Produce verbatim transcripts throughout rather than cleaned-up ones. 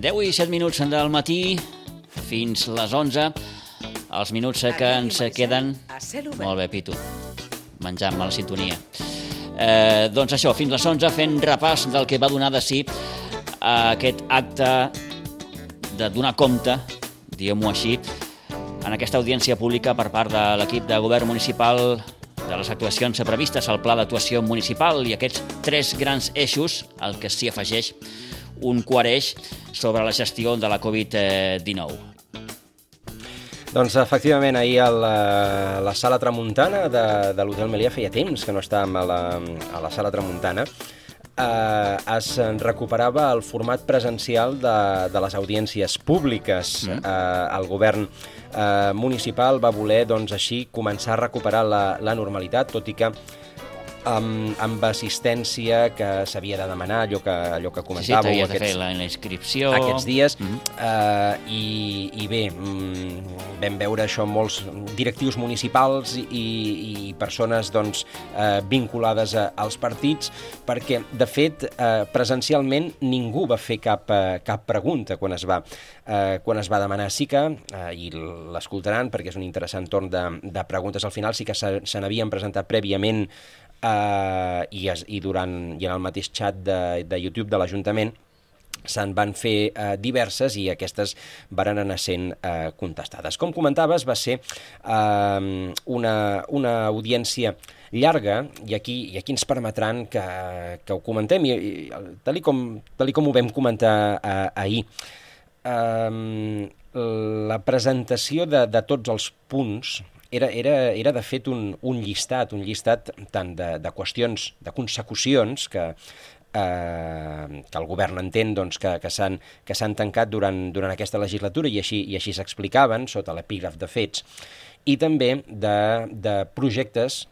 deu i set minuts del matí fins les onze, els minuts que ens queden... Molt bé, Pitu, menjant-me la sintonia. Eh, doncs això, fins les onze, fent repàs del que va donar de si aquest acte de donar compte, diguem-ho així, en aquesta audiència pública per part de l'equip de govern municipal de les actuacions previstes al Pla d'Actuació Municipal i aquests tres grans eixos, al que s'hi afegeix un quart eix sobre la gestió de la covid dinou. Doncs efectivament ahir a la, la sala Tramuntana de, de l'Hotel Melià feia temps que no estàvem a la, a la sala Tramuntana. Eh, es recuperava el format presencial de, de les audiències públiques. Mm. Eh, el govern eh, municipal va voler, doncs, així començar a recuperar la, la normalitat, tot i que amb, amb assistència que s'havia de demanar, allò que, allò que comentàveu. Sí, sí, t'havies de fer la, la inscripció. Aquests dies. Mm-hmm. eh, i, I bé, vam veure això molts directius municipals i, i persones doncs, eh, vinculades a, als partits, perquè, de fet, eh, presencialment ningú va fer cap, eh, cap pregunta quan es va, eh, quan es va demanar. Sí que, eh, i l'escoltaran perquè és un interessant torn de, de preguntes al final, sí que se, se n'havien presentat prèviament Uh, i, es, i, durant, i en el mateix xat de, de YouTube de l'Ajuntament se'n van fer uh, diverses i aquestes varen anar sent uh, contestades. Com comentaves, va ser uh, una, una audiència llarga i aquí, i aquí ens permetran que, que ho comentem i, i tal, i com, tal i com ho vam comentar uh, ahir. Uh, la presentació de, de tots els punts Era, era, era de fet un, un llistat, un llistat tant de, de qüestions, de consecucions que, eh, que el govern entén doncs, que, que s'han que s'han tancat durant, durant aquesta legislatura i així, i així s'explicaven sota l'epígraf de fets, i també de, de projectes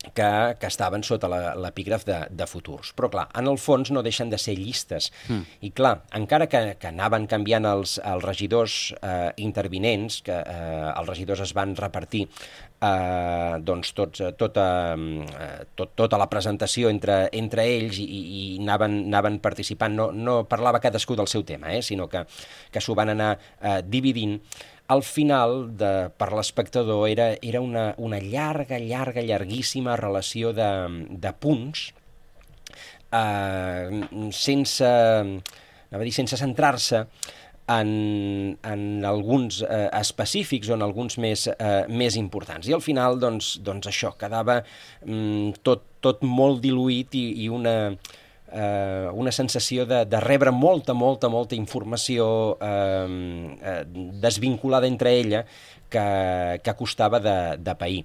que, que estaven sota l'epígraf de, de futurs. Però, clar, en el fons no deixen de ser llistes. Mm. I, clar, encara que, que anaven canviant els, els regidors eh, intervinents, que eh, els regidors es van repartir eh, doncs tots, tota, eh, tot, tota la presentació entre, entre ells i, i anaven, anaven participant. No, no parlava cadascú del seu tema, eh, sinó que, que s'ho van anar eh, dividint. Al final, de, per l'espectador, era, era una, una llarga, llarga, llarguíssima relació de, de punts, eh, sense, anava a dir, sense centrar-se en, en alguns eh, específics o en alguns més, eh, més importants. I al final, doncs, doncs això, quedava mm, tot, tot molt diluït i, i una... Uh, una sensació de, de rebre molta, molta, molta informació uh, uh, desvinculada entre ella que, que costava de, de pair.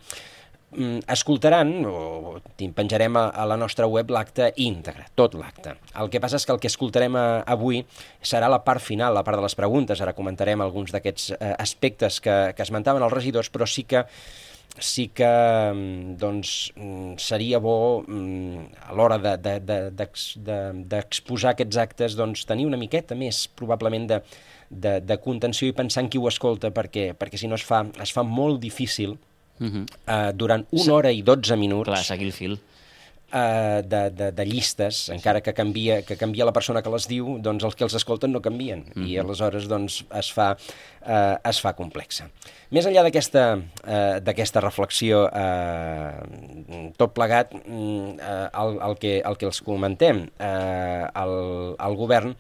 Um, escoltaran, o penjarem a, a la nostra web l'acte íntegre, tot l'acte. El que passa és que el que escoltarem a, avui serà la part final, la part de les preguntes. Ara comentarem alguns d'aquests uh, aspectes que, que esmentaven els regidors, però sí que sí que doncs, seria bo a l'hora d'exposar de, de, de, aquests actes doncs, tenir una miqueta més probablement de, de, de contenció i pensar en qui ho escolta, perquè, perquè si no es fa, es fa molt difícil uh-huh. eh, durant una hora i dotze minuts Clar, seguir el fil. Uh, de, de, de llistes, sí. Encara que canvia, que canvia la persona que les diu, doncs els que els escolten no canvien, mm-hmm. i aleshores doncs, es, fa, uh, es fa complexa. Més enllà d'aquesta uh, d'aquesta reflexió, uh, tot plegat, uh, el, el, que, el que els comentem, uh, el, el govern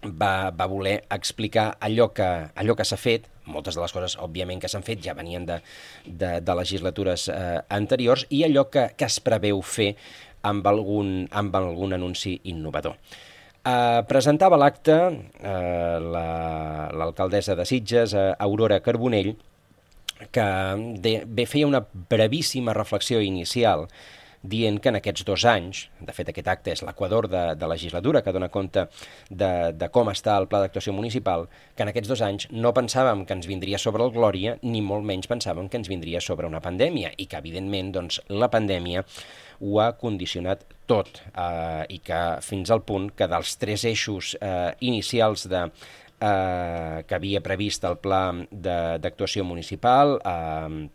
va, va voler explicar allò que, allò que s'ha fet. Moltes de les coses, òbviament, que s'han fet ja venien de, de, de legislatures eh, anteriors, i allò que, que es preveu fer amb algun, amb algun anunci innovador. Eh, presentava l'acte eh, l'alcaldessa la, de Sitges, eh, Aurora Carbonell, que de, bé feia una brevíssima reflexió inicial dient que en aquests dos anys, de fet aquest acte és l'equador de, de legislatura que dona compte de, de com està el Pla d'Actuació Municipal, que en aquests dos anys no pensàvem que ens vindria sobre el Glòria, ni molt menys pensàvem que ens vindria sobre una pandèmia, i que evidentment doncs, la pandèmia ho ha condicionat tot, eh, i que fins al punt que dels tres eixos eh, inicials de, eh, que havia previst el Pla d'actuació municipal, eh,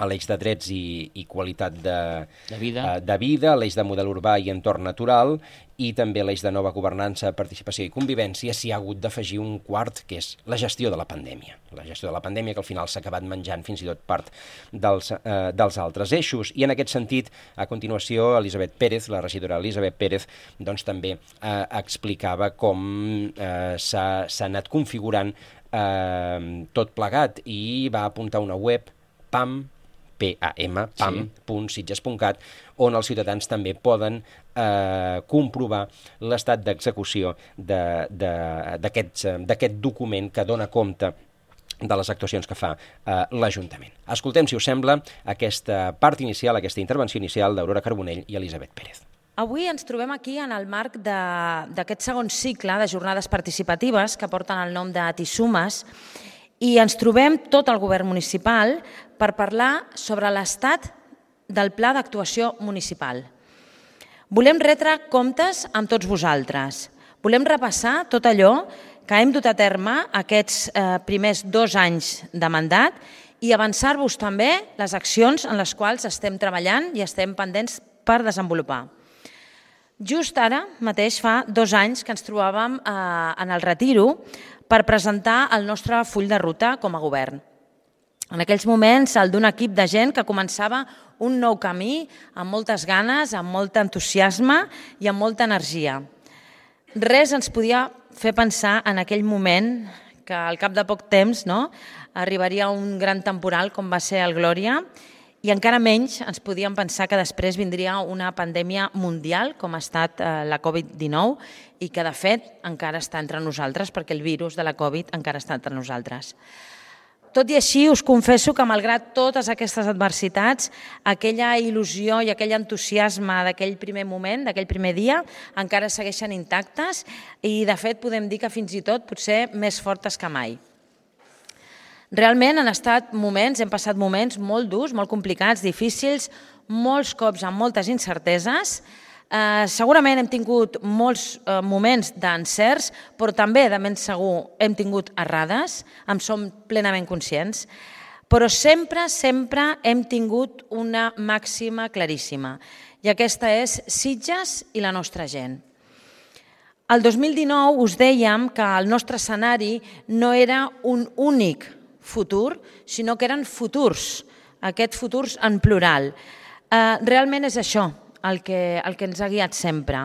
a l'eix de drets i, i qualitat de, de vida, uh, de vida, l'eix de model urbà i entorn natural, i també l'eix de nova governança, participació i convivència. S'hi ha hagut d'afegir un quart, que és la gestió de la pandèmia. La gestió de la pandèmia, que al final s'ha acabat menjant fins i tot part dels, uh, dels altres eixos. I en aquest sentit, a continuació, Elisabet Pérez, la regidora Elisabet Pérez, doncs també uh, explicava com uh, s'ha anat configurant uh, tot plegat, i va apuntar una web, PAM, P A M, pam punt sitges punt cat, on els ciutadans també poden eh, comprovar l'estat d'execució d'aquest document que dona compte de les actuacions que fa eh, l'Ajuntament. Escoltem, si us sembla, aquesta part inicial, aquesta intervenció inicial d'Aurora Carbonell i Elisabet Pérez. Avui ens trobem aquí en el marc d'aquest segon cicle de jornades participatives que porten el nom de Tisumes, i ens trobem tot el govern municipal per parlar sobre l'estat del Pla d'Actuació Municipal. Volem retre comptes amb tots vosaltres. Volem repassar tot allò que hem dut a terme aquests eh, primers dos anys de mandat i avançar-vos també les accions en les quals estem treballant i estem pendents per desenvolupar. Just ara mateix fa dos anys que ens trobàvem eh, en el retiro per presentar el nostre full de ruta com a govern. En aquells moments, el d'un equip de gent que començava un nou camí amb moltes ganes, amb molt entusiasme i amb molta energia. Res ens podia fer pensar en aquell moment que al cap de poc temps no, arribaria un gran temporal com va ser el Glòria, i encara menys ens podíem pensar que després vindria una pandèmia mundial com ha estat la Covid dinou i que de fet encara està entre nosaltres perquè el virus de la Covid encara està entre nosaltres. Tot i així us confesso que malgrat totes aquestes adversitats, aquella il·lusió i aquell entusiasme d'aquell primer moment, d'aquell primer dia, encara segueixen intactes i de fet podem dir que fins i tot potser més fortes que mai. Realment han estat moments, hem passat moments molt durs, molt complicats, difícils, molts cops amb moltes incerteses. Eh, segurament hem tingut molts eh, moments d'encerts, però també, de ben segur, hem tingut errades, en som plenament conscients, però sempre, sempre hem tingut una màxima claríssima, i aquesta és Sitges i la nostra gent. El dos mil dinou us dèiem que el nostre escenari no era un únic futur, sinó que eren futurs, aquests futurs en plural. Eh, realment és això el que, el que ens ha guiat sempre.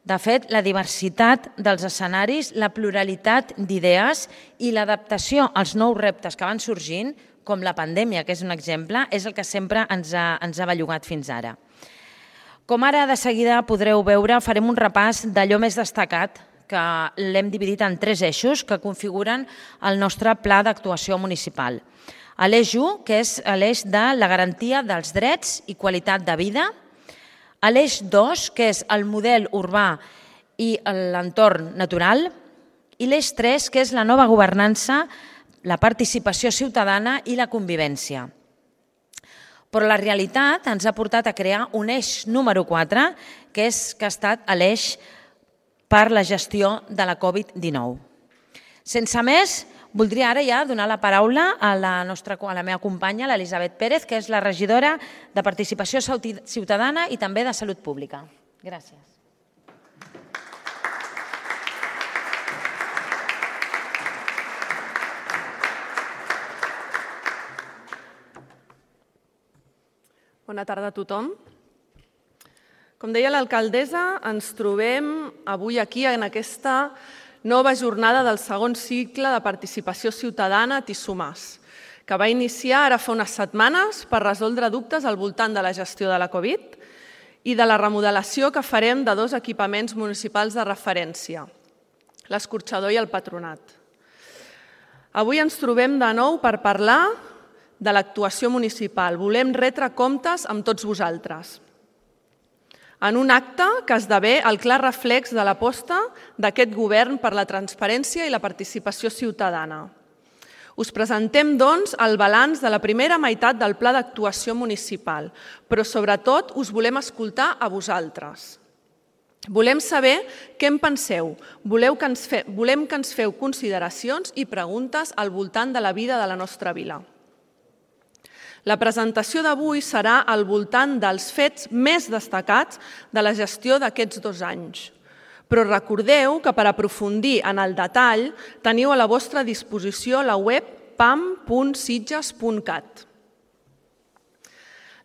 De fet, la diversitat dels escenaris, la pluralitat d'idees i l'adaptació als nous reptes que van sorgint, com la pandèmia, que és un exemple, és el que sempre ens ha, ens ha bellugat fins ara. Com ara de seguida podreu veure, farem un repàs d'allò més destacat que l'hem dividit en tres eixos que configuren el nostre pla d'actuació municipal. L'eix u, que és l'eix de la garantia dels drets i qualitat de vida. L'eix dos, que és el model urbà i l'entorn natural. I l'eix tres, que és la nova governança, la participació ciutadana i la convivència. Però la realitat ens ha portat a crear un eix número quatre, que, és, que ha estat l'eix per la gestió de la Covid dinou. Sense més, voldria ara ja donar la paraula a la, nostra, a la meva companya, l'Elisabet Pérez, que és la regidora de Participació Ciutadana i també de Salut Pública. Gràcies. Bona tarda a tothom. Com deia l'alcaldessa, ens trobem avui aquí en aquesta nova jornada del segon cicle de participació ciutadana a Tisumes, que va iniciar ara fa unes setmanes per resoldre dubtes al voltant de la gestió de la Covid i de la remodelació que farem de dos equipaments municipals de referència, l'Escorxador i el Patronat. Avui ens trobem de nou per parlar de l'actuació municipal. Volem retre comptes amb tots vosaltres, en un acte que esdevé el clar reflex de l'aposta d'aquest govern per la transparència i la participació ciutadana. Us presentem, doncs, el balanç de la primera meitat del Pla d'Actuació Municipal, però sobretot us volem escoltar a vosaltres. Volem saber què en penseu, voleu que ens fe... volem que ens feu consideracions i preguntes al voltant de la vida de la nostra vila. La presentació d'avui serà al voltant dels fets més destacats de la gestió d'aquests dos anys. Però recordeu que per aprofundir en el detall teniu a la vostra disposició la web pam punt sitges punt cat.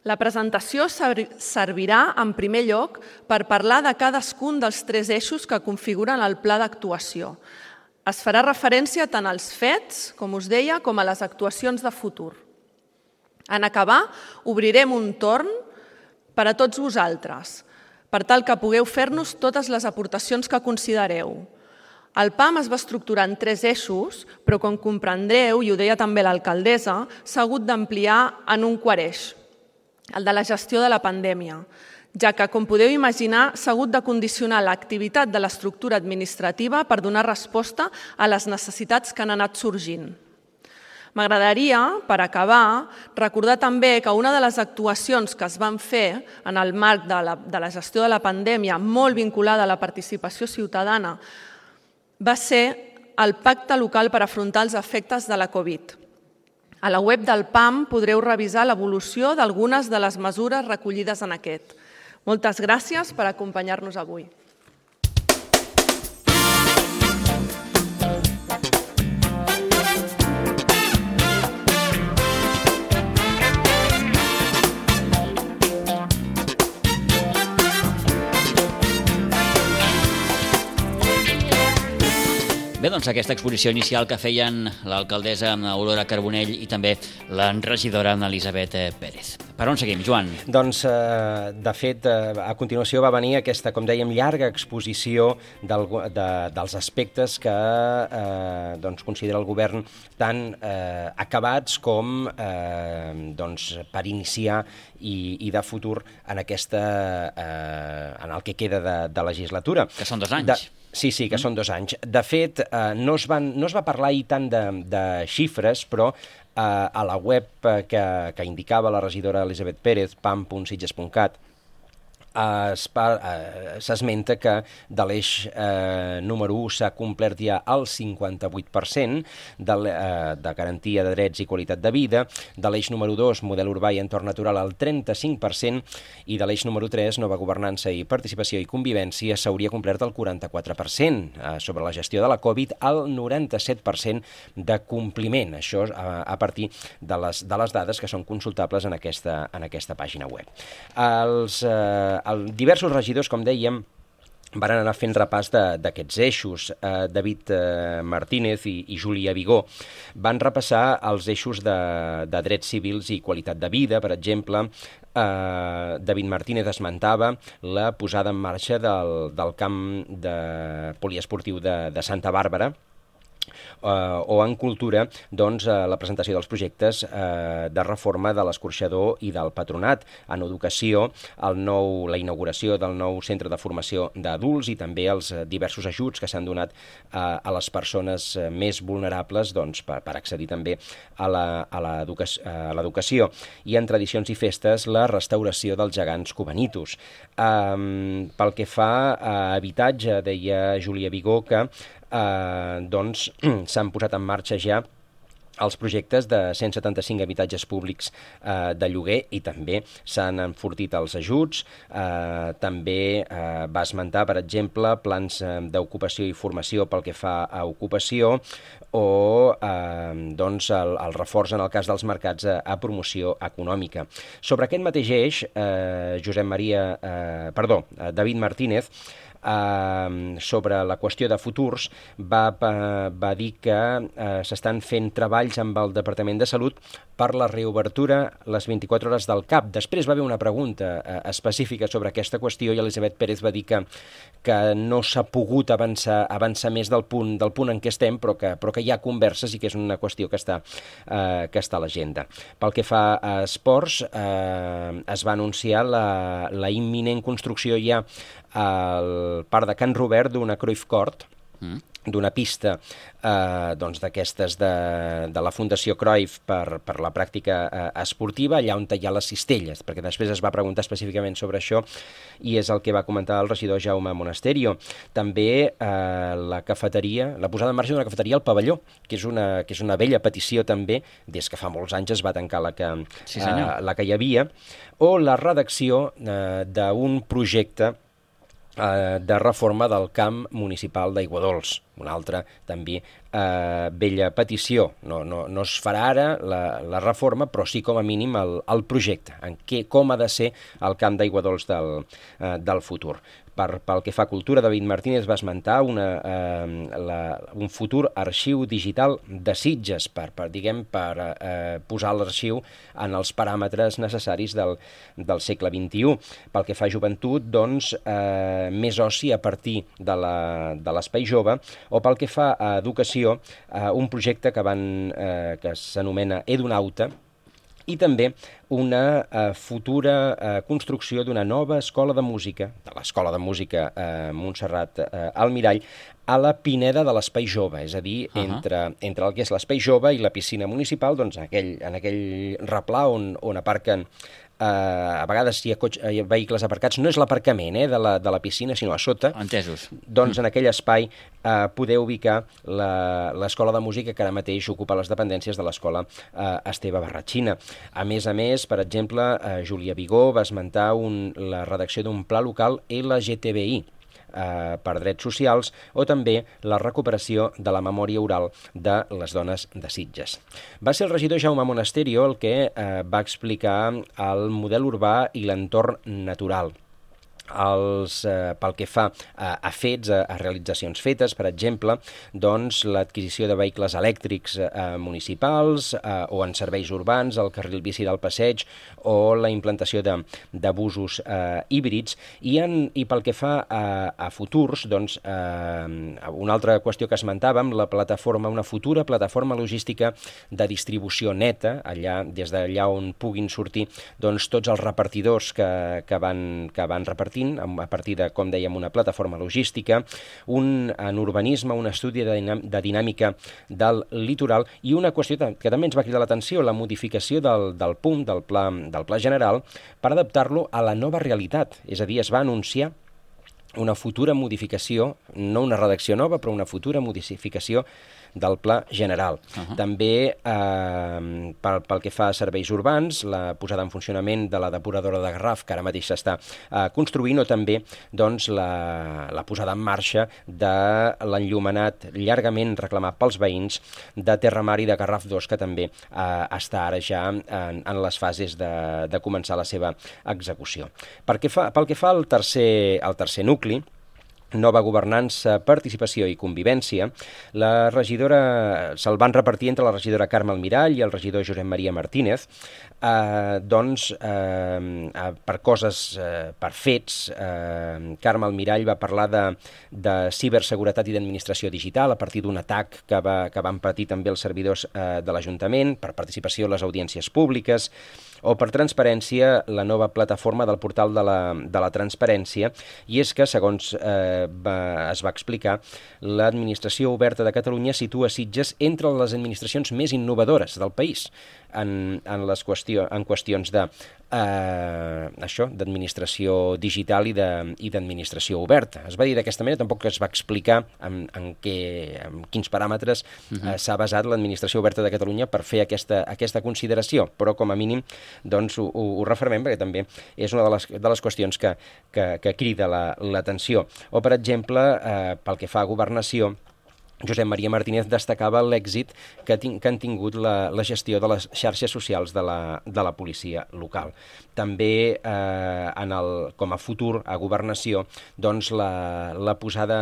La presentació servirà, en primer lloc, per parlar de cadascun dels tres eixos que configuren el pla d'actuació. Es farà referència tant als fets, com us deia, com a les actuacions de futur. En acabar, obrirem un torn per a tots vosaltres, per tal que pugueu fer-nos totes les aportacions que considereu. El PAM es va estructurar en tres eixos, però com comprendreu, i ho deia també l'alcaldessa, s'ha hagut d'ampliar en un quart eix, el de la gestió de la pandèmia, ja que, com podeu imaginar, s'ha hagut de condicionar l'activitat de l'estructura administrativa per donar resposta a les necessitats que han anat sorgint. M'agradaria, per acabar, recordar també que una de les actuacions que es van fer en el marc de la, de la gestió de la pandèmia, molt vinculada a la participació ciutadana, va ser el pacte local per afrontar els efectes de la Covid. A la web del PAM podreu revisar l'evolució d'algunes de les mesures recollides en aquest. Moltes gràcies per acompanyar-nos avui. Bé, doncs aquesta exposició inicial que feien l'alcaldessa Aurora Carbonell i també la regidora Elisabet Pérez. Per on seguim, Joan? Doncs, eh, de fet, eh, a continuació va venir aquesta, com dèiem, llarga exposició del, de, dels aspectes que eh, doncs, considera el govern tan eh, acabats com eh, doncs, per iniciar i, i de futur en, aquesta, eh, en el que queda de, de legislatura. Que són dos anys. De, Sí, sí, que mm. són dos anys. De fet, eh, no, es van, no es va parlar ahir tant de, de xifres, però eh, a la web que, que indicava la regidora Elisabet Pérez, pam punt sitges punt cat, s'esmenta que de l'eix eh, número u s'ha complert ja el cinquanta-vuit per cent de, eh, de garantia de drets i qualitat de vida, de l'eix número dos, model urbà i entorn natural, el trenta-cinc per cent, i de l'eix número tres, nova governança i participació i convivència, s'hauria complert el quaranta-quatre per cent. Eh, sobre la gestió de la Covid, el noranta-set per cent de compliment. Això a, a partir de les, de les dades que són consultables en aquesta, en aquesta pàgina web. Els eh, El, diversos regidors, com dèiem, van anar fent repàs d'aquests eixos. Eh, David eh, Martínez i, i Júlia Vigó van repassar els eixos de, de drets civils i qualitat de vida. Per exemple, eh, David Martínez esmentava la posada en marxa del, del camp de poliesportiu de, de Santa Bàrbara, Uh, o en cultura, doncs, uh, la presentació dels projectes uh, de reforma de l'escorxador i del patronat. En educació, el nou, la inauguració del nou centre de formació d'adults i també els uh, diversos ajuts que s'han donat uh, a les persones uh, més vulnerables, doncs, per, per accedir també a l'educació. I en tradicions i festes, la restauració dels gegants cubanitos. Um, pel que fa a habitatge, deia Júlia Vigó que Uh, doncs s'han posat en marxa ja els projectes de cent setanta-cinc habitatges públics uh, de lloguer i també s'han enfortit els ajuts. Uh, també uh, va esmentar, per exemple, plans uh, d'ocupació i formació pel que fa a ocupació o eh, doncs el, el reforç en el cas dels mercats a, a promoció econòmica. Sobre aquest mateix eix, eh, Josep Maria, eh, perdó, David Martínez, Uh, sobre la qüestió de futurs, va, va, va dir que uh, s'estan fent treballs amb el Departament de Salut per la reobertura les vint-i-quatre hores del C A P. Després va haver una pregunta uh, específica sobre aquesta qüestió i Elisabet Pérez va dir que, que no s'ha pogut avançar, avançar més del punt, del punt en què estem, però que, però que hi ha converses i que és una qüestió que està, uh, que està a l'agenda. Pel que fa a esports, uh, es va anunciar la, la imminent construcció ja al parc de Can Robert d'una Cruyff Court, mm. d'una pista eh, doncs d'aquestes de, de la Fundació Cruyff per, per la pràctica eh, esportiva, allà on hi ha les cistelles, perquè després es va preguntar específicament sobre això i és el que va comentar el regidor Jaume Monasterio. També eh, la cafeteria, la posada en marxa d'una cafeteria al pavelló, que és una, que és una vella petició també, des que fa molts anys es va tancar la que, sí, eh, la que hi havia, o la redacció eh, d'un projecte de reforma del camp municipal d'Aiguadols, una altra també eh, vella petició. No, no, no es farà ara la, la reforma, però sí com a mínim el, el projecte, en què, com ha de ser el camp d'Aiguadols del, eh, del futur. Per, pel que fa a cultura, David Martínez va esmentar una, eh, la, un futur arxiu digital de Sitges per, per, diguem, per eh, posar l'arxiu en els paràmetres necessaris del, del segle vint-i-u. Pel que fa a joventut, doncs, eh, més oci a partir de l'espai jove, o pel que fa a educació, eh, un projecte que, van, eh, que s'anomena Edunauta, i també una eh, futura eh, construcció d'una nova escola de música, de l'Escola de Música eh, Montserrat eh, Almirall, a la Pineda de l'Espai Jove, és a dir, uh-huh. entre, entre el que és l'Espai Jove i la piscina municipal, doncs en aquell, en aquell replà on, on aparquen Uh, a vegades hi ha, cotxe, hi ha vehicles aparcats, no és l'aparcament eh, de, la, de la piscina, sinó a sota. Entesos. Doncs en aquell espai uh, poder ubicar l'escola de música que ara mateix ocupa les dependències de l'escola uh, Esteve Barratxina. A més a més, per exemple, uh, Júlia Vigó va esmentar un, la redacció d'un pla local L G T B I, Eh, per drets socials, o també la recuperació de la memòria oral de les dones de Sitges. Va ser el regidor Jaume Monasterio el que eh, va explicar el model urbà i l'entorn natural. Els, eh, pel que fa a, a fets, a, a realitzacions fetes, per exemple, doncs l'adquisició de vehicles elèctrics eh, municipals eh, o en serveis urbans, el carril bici del passeig o la implantació de, de busos eh, híbrids, i, en, i pel que fa a, a futurs, doncs eh, una altra qüestió que esmentàvem, la plataforma, una futura plataforma logística de distribució neta, allà, des d'allà on puguin sortir doncs, tots els repartidors que, que, van, que van repartir a partir de, com dèiem, una plataforma logística, un, en urbanisme, un estudi de, dinàm de dinàmica del litoral i una qüestió que també ens va cridar l'atenció, la modificació del, del punt, del pla, del pla general, per adaptar-lo a la nova realitat. És a dir, es va anunciar una futura modificació, no una redacció nova, però una futura modificació del pla general. Uh-huh. També eh, pel, pel que fa a serveis urbans, la posada en funcionament de la depuradora de Garraf, que ara mateix s'està eh, construint, o també doncs, la, la posada en marxa de l'enllumenat llargament reclamat pels veïns de Terramar i de Garraf dos, que també eh, està ara ja en, en les fases de, de començar la seva execució. Pel que fa, pel que fa al tercer, al tercer nucli, nova governança, participació i convivència, la regidora se'l van repartir entre la regidora Carme Almirall i el regidor Josep Maria Martínez, eh, doncs, eh, per coses, eh, per fets, eh, Carme Almirall va parlar de, de ciberseguretat i d'administració digital a partir d'un atac que, va, que van patir també els servidors eh, de l'Ajuntament, per participació a les audiències públiques, o per transparència, la nova plataforma del portal de la, de la transparència, i és que, segons eh, va, es va explicar, l'administració oberta de Catalunya situa Sitges entre les administracions més innovadores del país en, en, les qüestió, en qüestions de eh, això, d'administració digital i d'administració oberta. Es va dir d'aquesta manera, tampoc es va explicar en, en, què, en quins paràmetres uh-huh. eh, s'ha basat l'administració oberta de Catalunya per fer aquesta, aquesta consideració, però com a mínim doncs ho, ho, ho refermem perquè també és una de les, de les qüestions que, que, que crida l'atenció. La, o, per exemple, eh, pel que fa a governació, Josep Maria Martínez destacava l'èxit que, que han tingut la, la gestió de les xarxes socials de la, de la policia local. També, eh, en el, com a futur a governació, doncs la, la posada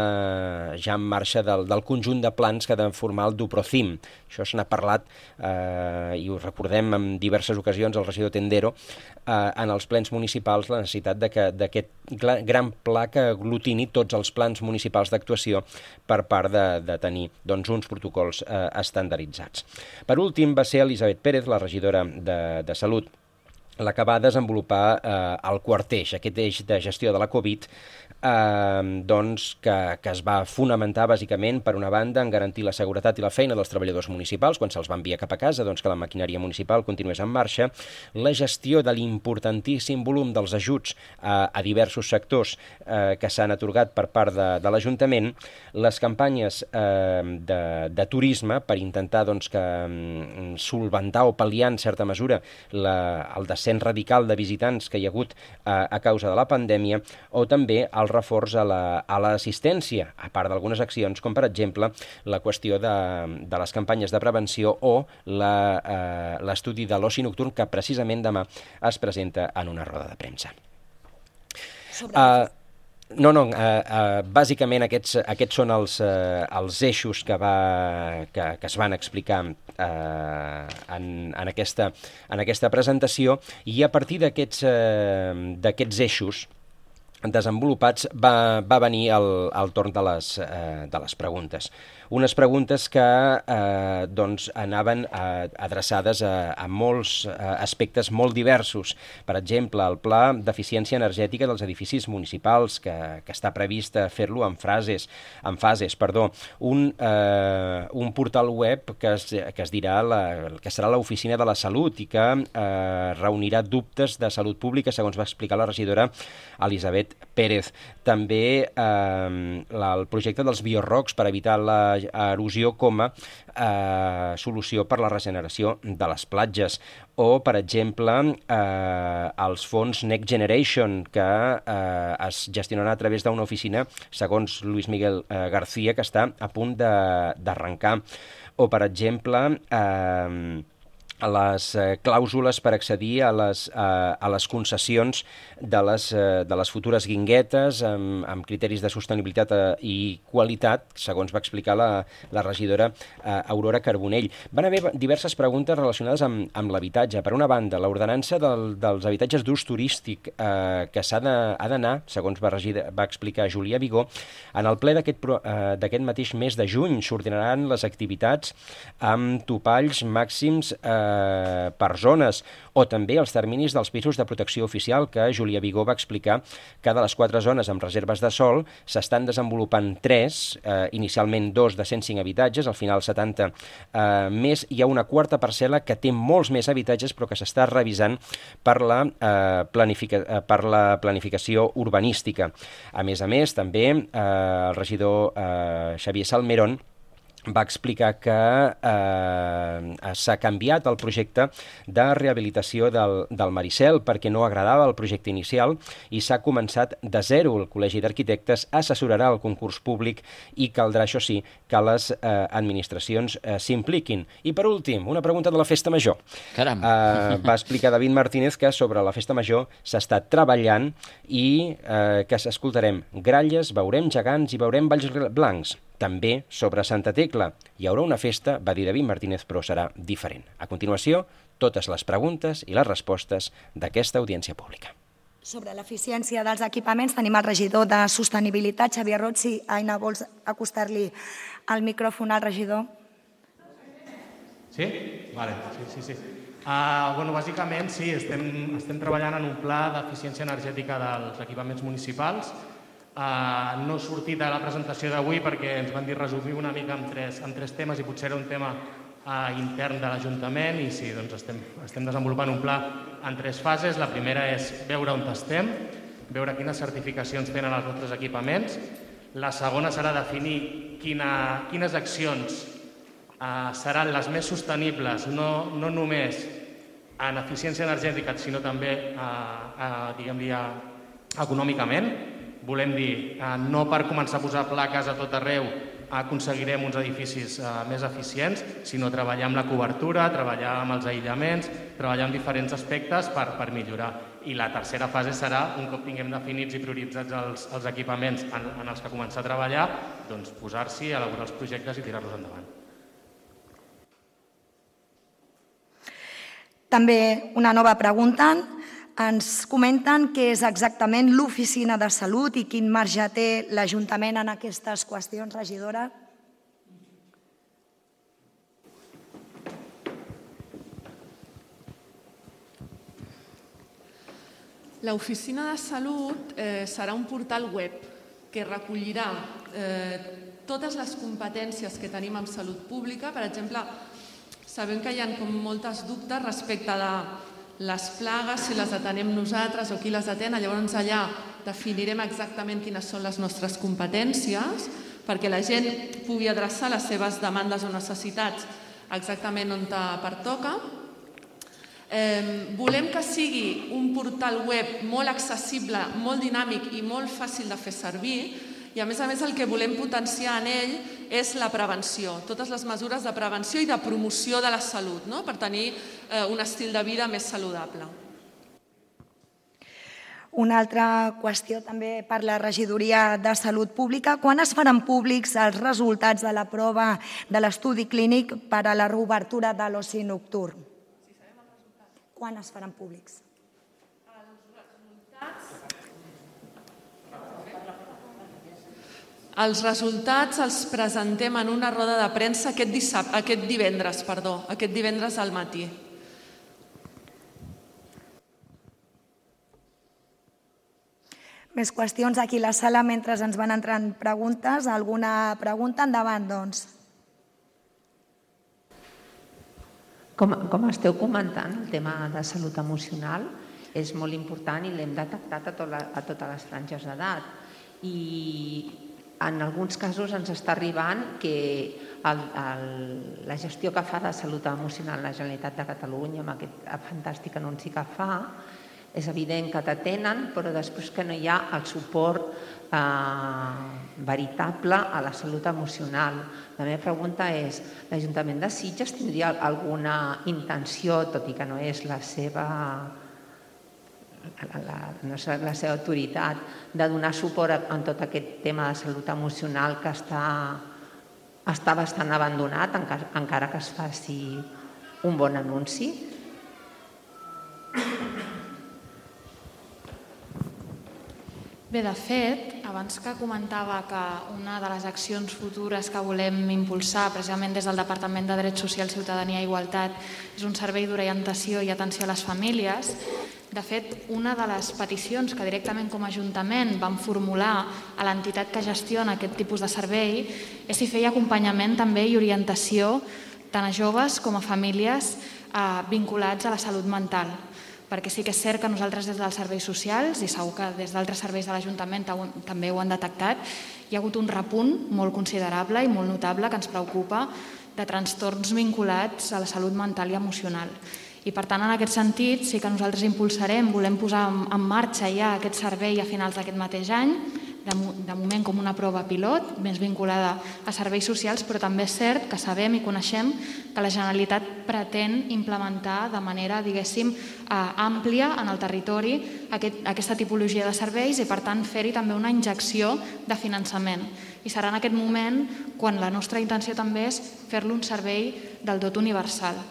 ja en marxa del, del conjunt de plans que ha de formar el Duprocim. Això se n'ha parlat, eh, i ho recordem en diverses ocasions, el regidor Tendero, eh, en els plens municipals, la necessitat d'aquest gran pla que aglutini tots els plans municipals d'actuació per part de, de tenir doncs, uns protocols eh, estandarditzats. Per últim va ser Elisabet Pérez, la regidora de, de Salut, la que va desenvolupar eh, el quart eix, aquest eix de gestió de la Covid, eh, doncs, que, que es va fonamentar bàsicament, per una banda, en garantir la seguretat i la feina dels treballadors municipals quan se'ls va enviar cap a casa, doncs que la maquinària municipal continués en marxa, la gestió de l'importantíssim volum dels ajuts a, a diversos sectors eh, que s'han atorgat per part de, de l'Ajuntament, les campanyes eh, de, de turisme per intentar doncs, que mm, solventar o pal·liar en certa mesura la, el descens radical de visitants que hi ha hagut eh, a causa de la pandèmia, o també el reforç a l'assistència, la, a part d'algunes accions, com per exemple la qüestió de, de les campanyes de prevenció o l'estudi eh, de l'oci nocturn, que precisament demà es presenta en una roda de premsa. Sobre... Uh, No, no, eh, eh, bàsicament aquests, aquests són els, eh, els eixos que, va, que, que es van explicar eh, en, en, aquesta, en aquesta presentació, i a partir d'aquests eh, d'aquests eixos desenvolupats va, va venir el, el torn de les, eh, de les preguntes. Unes preguntes que eh, doncs anaven eh, adreçades a, a molts eh, aspectes molt diversos. Per exemple, el pla d'eficiència energètica dels edificis municipals, que, que està previst fer-lo en, frases, en fases. Perdó. Un, eh, un portal web que es, que es dirà la, que serà l'Oficina de la Salut i que eh, reunirà dubtes de salut pública, segons va explicar la regidora Elisabet Pérez. També eh, la, el projecte dels biorrocs per evitar la erosió com a eh, solució per la regeneració de les platges, o, per exemple, eh, els fons Next Generation, que eh, es gestionarà a través d'una oficina, segons Luis Miguel eh, García, que està a punt d'arrencar, o, per exemple, eh, a les eh, clàusules per accedir a les, eh, a les concessions de les, eh, de les futures guinguetes amb, amb criteris de sostenibilitat eh, i qualitat, segons va explicar la, la regidora eh, Aurora Carbonell. Van haver diverses preguntes relacionades amb, amb l'habitatge. Per una banda, l'ordenança del, dels habitatges d'ús turístic eh, que s'ha d'anar, segons va, regida, va explicar Julià Vigó, en el ple d'aquest eh, d'aquest mateix mes de juny s'ordinaran les activitats amb topalls màxims eh, per zones, o també els terminis dels pisos de protecció oficial, que Julià Vigó va explicar que de les quatre zones amb reserves de sòl s'estan desenvolupant tres, eh, inicialment dos de cent cinc habitatges, al final setanta eh, més. Hi ha una quarta parcel·la que té molts més habitatges però que s'està revisant per la, eh, planifica, eh, per la planificació urbanística. A més a més, també eh, el regidor eh, Xavier Salmerón va explicar que eh, s'ha canviat el projecte de rehabilitació del, del Maricel perquè no agradava el projecte inicial i s'ha començat de zero. El Col·legi d'Arquitectes assessorarà el concurs públic i caldrà, això sí, que les eh, administracions eh, s'impliquin. I per últim, una pregunta de la Festa Major. Caram! Eh, va explicar David Martínez que sobre la Festa Major s'està treballant i eh, que s'escoltarem gralles, veurem gegants i veurem balls blancs. També sobre Santa Tecla hi haurà una festa, va dir David Martínez, però serà diferent. A continuació, totes les preguntes i les respostes d'aquesta audiència pública. Sobre l'eficiència dels equipaments tenim el regidor de Sostenibilitat, Xavier Roig. Si, Aina, vols acostar-li el micròfon al regidor? Sí? Vale, sí, sí, sí. Uh, bueno, bàsicament, sí, estem, estem treballant en un pla d'eficiència energètica dels equipaments municipals. Uh, no he sortit a la presentació d'avui perquè ens van dir resumir una mica en tres, en tres temes i potser era un tema uh, intern de l'Ajuntament i sí, doncs estem, estem desenvolupant un pla en tres fases. La primera és veure on estem, veure quines certificacions tenen els nostres equipaments. La segona serà definir quina, quines accions uh, seran les més sostenibles, no, no només en eficiència energètica, sinó també uh, uh, diguem-li, uh, econòmicament. Volem dir, eh, no per començar a posar plaques a tot arreu aconseguirem uns edificis eh, més eficients, sinó treballar amb la cobertura, treballar amb els aïllaments, treballar amb diferents aspectes per, per millorar. I la tercera fase serà, un cop tinguem definits i prioritzats els, els equipaments en, en els que començar a treballar, doncs posar-s'hi, elaborar els projectes i tirar-los endavant. També una nova pregunta. Ens comenten què és exactament l'Oficina de Salut i quin marge té l'Ajuntament en aquestes qüestions, regidora. L'Oficina de Salut eh, serà un portal web que recollirà eh, totes les competències que tenim en salut pública. Per exemple, sabem que hi ha com moltes dubtes respecte de les plagues, si les atenem nosaltres o qui les atén. Llavors allà definirem exactament quines són les nostres competències perquè la gent pugui adreçar les seves demandes o necessitats exactament on pertoca. Eh, volem que sigui un portal web molt accessible, molt dinàmic i molt fàcil de fer servir, i a més a més el que volem potenciar en ell és la prevenció, totes les mesures de prevenció i de promoció de la salut, no? Per tenir eh, un estil de vida més saludable. Una altra qüestió també per la Regidoria de Salut Pública. Quan es faran públics els resultats de la prova de l'estudi clínic per a la reobertura de l'oci nocturn? Quan es faran públics? Els resultats els presentem en una roda de premsa aquest, dissabte, aquest divendres, perdó, aquest divendres al matí. Més qüestions aquí a la sala mentre ens van entrant preguntes. Alguna pregunta? Endavant, doncs. Com, com esteu comentant, el tema de salut emocional és molt important i l'hem detectat a, tot la, a totes les franges d'edat. I en alguns casos ens està arribant que el, el, la gestió que fa de salut emocional la Generalitat de Catalunya amb aquest fantàstic anunci que fa, és evident que t'atenen, però després que no hi ha el suport eh, veritable a la salut emocional. La meva pregunta és, l'Ajuntament de Sitges tindria alguna intenció, tot i que no és la seva, la, la, no és la seva autoritat, de donar suport en tot aquest tema de salut emocional que està, està bastant abandonat, encara, encara que es faci un bon anunci? Bé, de fet, abans que comentava que una de les accions futures que volem impulsar precisament des del Departament de Drets Socials, Ciutadania i Igualtat és un servei d'orientació i atenció a les famílies, de fet, una de les peticions que directament com a Ajuntament vam formular a l'entitat que gestiona aquest tipus de servei és si feia acompanyament també i orientació tant a joves com a famílies eh, vinculats a la salut mental. Perquè sí que és cert que nosaltres des dels serveis socials, i segur que des d'altres serveis de l'Ajuntament també ho han detectat, hi ha hagut un repunt molt considerable i molt notable que ens preocupa de trastorns vinculats a la salut mental i emocional. I per tant, en aquest sentit, sí que nosaltres impulsarem, volem posar en marxa ja aquest servei a finals d'aquest mateix any, de moment com una prova pilot, més vinculada a serveis socials, però també és cert que sabem i coneixem que la Generalitat pretén implementar de manera, diguéssim, àmplia en el territori aquesta tipologia de serveis i, per tant, fer-hi també una injecció de finançament. I serà en aquest moment quan la nostra intenció també és fer-lo un servei del tot universal.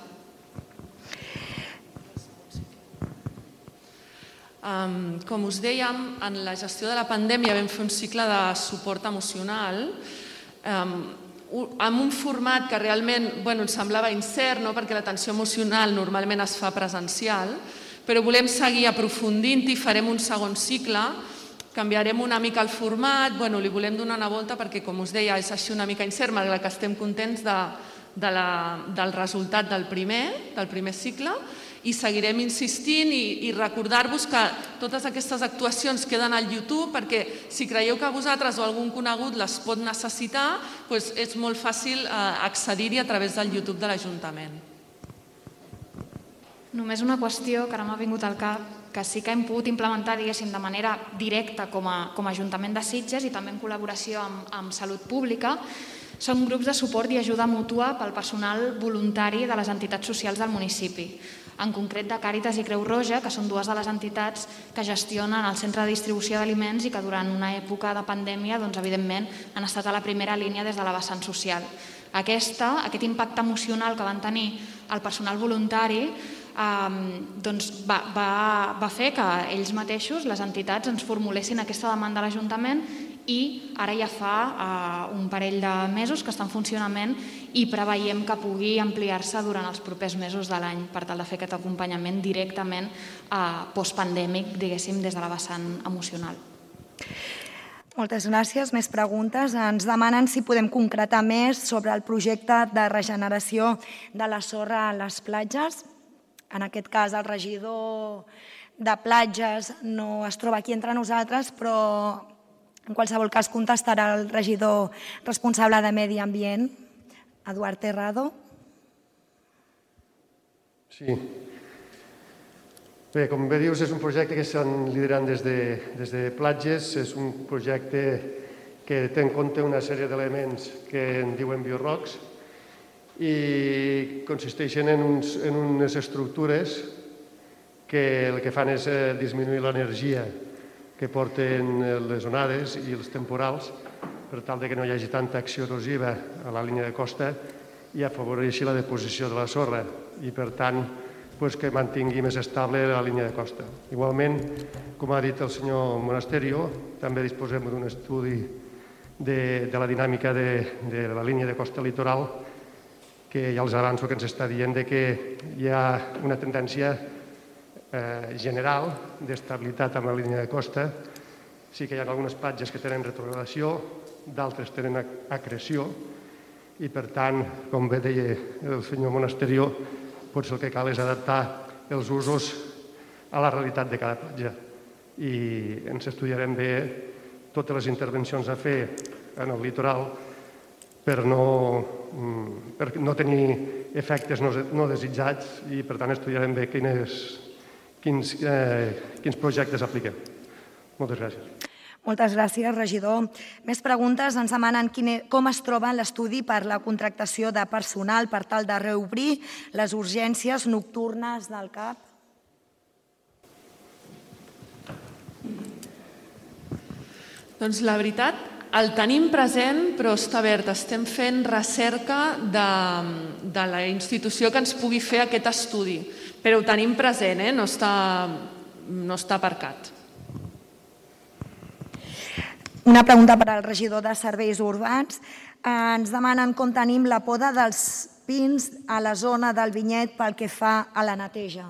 Um, com us dèiem, en la gestió de la pandèmia vam fer un cicle de suport emocional um, amb un format que realment bueno, ens semblava incert, no? Perquè l'atenció emocional normalment es fa presencial, però volem seguir aprofundint i farem un segon cicle, canviarem una mica el format, bueno, li volem donar una volta perquè, com us deia, és així una mica incert, malgrat que estem contents de, de la, del resultat del primer, del primer cicle, i seguirem insistint i, i recordar-vos que totes aquestes actuacions queden al YouTube perquè si creieu que vosaltres o algun conegut les pot necessitar, doncs és molt fàcil accedir-hi a través del YouTube de l'Ajuntament. Només una qüestió que ara m'ha vingut al cap, que sí que hem pogut implementar, diguéssim, de manera directa com a, com a Ajuntament de Sitges i també en col·laboració amb, amb Salut Pública, són grups de suport i ajuda mútua pel personal voluntari de les entitats socials del municipi. En concret de Càritas i Creu Roja, que són dues de les entitats que gestionen el centre de distribució d'aliments i que durant una època de pandèmia, doncs, evidentment, han estat a la primera línia des de la vessant social. Aquesta, aquest impacte emocional que van tenir el personal voluntari eh, doncs va, va, va fer que ells mateixos, les entitats, ens formulessin aquesta demanda a l'Ajuntament i ara ja fa eh, un parell de mesos que està en funcionament i preveiem que pugui ampliar-se durant els propers mesos de l'any per tal de fer aquest acompanyament directament eh, postpandèmic, diguéssim, des de la vessant emocional. Moltes gràcies. Més preguntes. Ens demanen si podem concretar més sobre el projecte de regeneració de la sorra a les platges. En aquest cas, el regidor de platges no es troba aquí entre nosaltres, però en qualsevol cas contestarà el regidor responsable de Medi Ambient, Eduard Terrado. Sí. Bé, com bé dius, és un projecte que estan liderant des de, des de platges. És un projecte que té en compte una sèrie d'elements que en diuen biorrocs i consisteixen en, uns, en unes estructures que el que fan és eh, disminuir l'energia que porten les onades i els temporals per tal de que no hi hagi tanta acció erosiva a la línia de costa i afavoreixi la deposició de la sorra i, per tant, pues, que mantingui més estable la línia de costa. Igualment, com ha dit el senyor Monasterio, també disposem d'un estudi de, de la dinàmica de, de la línia de costa litoral que ja els avanço que ens està dient de que hi ha una tendència eh, general d'estabilitat amb la línia de costa. Sí que hi ha algunes platges que tenen retrogradació, d'altres tenen acreció i, per tant, com bé deia el senyor Monasterio, potser el que cal és adaptar els usos a la realitat de cada platja. I ens estudiarem bé totes les intervencions a fer en el litoral per no, per no tenir efectes no desitjats i, per tant, estudiarem bé quines, quins, eh, quins projectes apliquem. Moltes gràcies. Moltes gràcies, regidor. Més preguntes. Ens demanen com es troba l'estudi per la contractació de personal per tal de reobrir les urgències nocturnes del C A P. Doncs la veritat, el tenim present, però està verd. Estem fent recerca de, de la institució que ens pugui fer aquest estudi. Però ho tenim present, eh? no, està, no està aparcat. Una pregunta per al regidor de Serveis Urbans. Ens demanen com tenim la poda dels pins a la zona del Vinyet pel que fa a la neteja.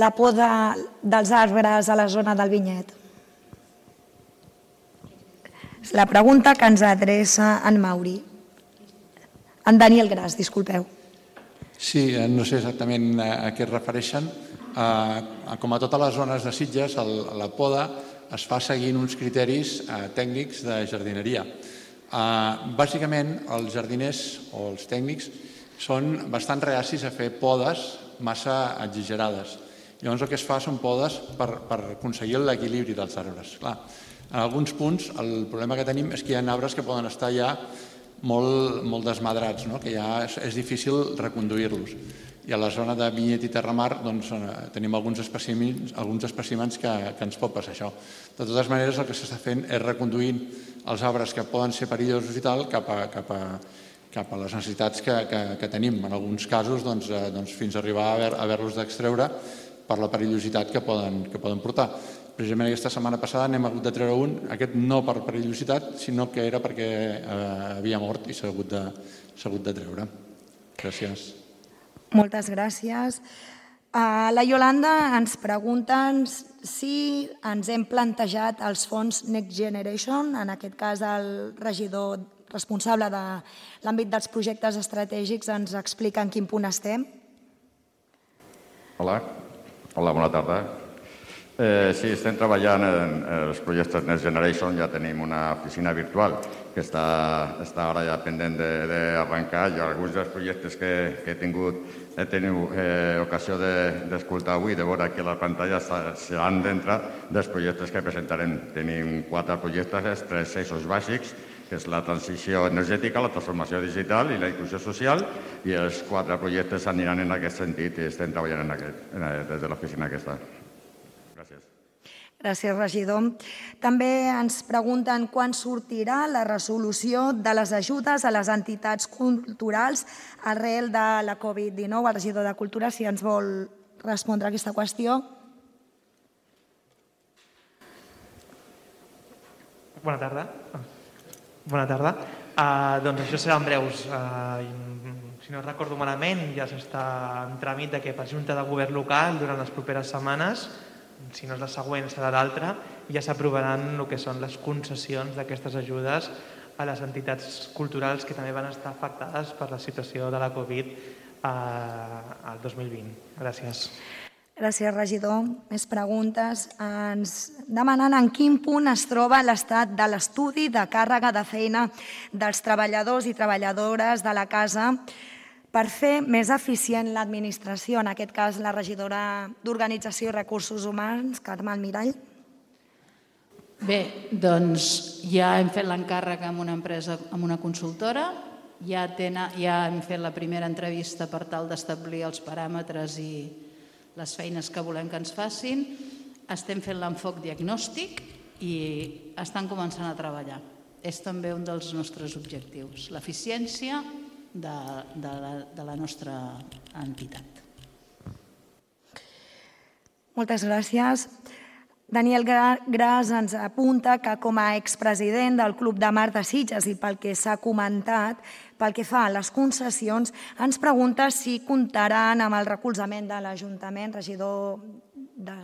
La poda dels arbres a la zona del Vinyet. És la pregunta que ens adreça en Mauri. En Daniel Gras, disculpeu. Sí, no sé exactament a què es refereixen. Com a totes les zones de Sitges, la poda es fa seguint uns criteris eh, tècnics de jardineria. Eh, bàsicament, els jardiners o els tècnics són bastant reacis a fer podes massa exagerades. Llavors el que es fa són podes per, per aconseguir l'equilibri dels arbres. Clar, en alguns punts el problema que tenim és que hi ha arbres que poden estar ja molt, molt desmadrats, no? Que ja és, és difícil reconduir-los. I a la zona de Vinyet i Terramar doncs, tenim alguns espècimens, alguns espècimens que, que ens pot passar això. De totes maneres, el que s'està fent és reconduint els arbres que poden ser perillosos i tal cap a, cap a, cap a les necessitats que, que, que tenim. En alguns casos, doncs, doncs, fins a arribar a haver-los d'extreure per la perillositat que poden, que poden portar. Precisament aquesta setmana passada n'hem hagut de treure un, aquest no per perillositat, sinó que era perquè eh, havia mort i s'ha hagut, de, s'ha hagut de treure. Gràcies. Moltes gràcies. Uh, la Yolanda ens pregunta si ens hem plantejat els fons Next Generation, en aquest cas el regidor responsable de l'àmbit dels projectes estratègics ens explica en quin punt estem. Hola, Hola bona tarda. Eh, sí, estem treballant en els projectes Next Generation, ja tenim una oficina virtual que està, està ara ja pendent d'arrencar. I alguns dels projectes que, que he tingut, he tingut eh, ocasió d'escoltar avui, de veure aquí a la pantalla, seran dintre dels projectes que presentarem. Tenim quatre projectes, tres eixos bàsics, que és la transició energètica, la transformació digital i la inclusió social, i els quatre projectes aniran en aquest sentit i estem treballant en aquest, en, des de l'oficina aquesta. Gràcies, regidor. També ens pregunten quan sortirà la resolució de les ajudes a les entitats culturals arrel de la Covid dinou. El regidor de Cultura, si ens vol respondre a aquesta qüestió. Bona tarda. Bona tarda. Doncs això serà en breus. Si no recordo malament, ja s'està en tràmit que per Junta de Govern local durant les properes setmanes, si no és la següent serà l'altra, ja s'aprovaran el que són les concessions d'aquestes ajudes a les entitats culturals que també van estar afectades per la situació de la Covid al dos mil vint. Gràcies. Gràcies, regidor. Més preguntes. Ens demanen en quin punt es troba l'estat de l'estudi de càrrega de feina dels treballadors i treballadores de la casa per fer més eficient l'administració, en aquest cas la regidora d'Organització i Recursos Humans, Carme Almirall. Bé, doncs ja hem fet l'encàrrec amb una empresa, amb una consultora, ja, tenen, ja hem fet la primera entrevista per tal d'establir els paràmetres i les feines que volem que ens facin, estem fent l'enfoc diagnòstic i estan començant a treballar. És també un dels nostres objectius, l'eficiència de, de, la, de la nostra entitat. Moltes gràcies. Daniel Gras ens apunta que com a expresident del Club de Mar de Sitges i pel que s'ha comentat, pel que fa a les concessions, ens pregunta si comptaran amb el recolzament de l'Ajuntament, regidor de...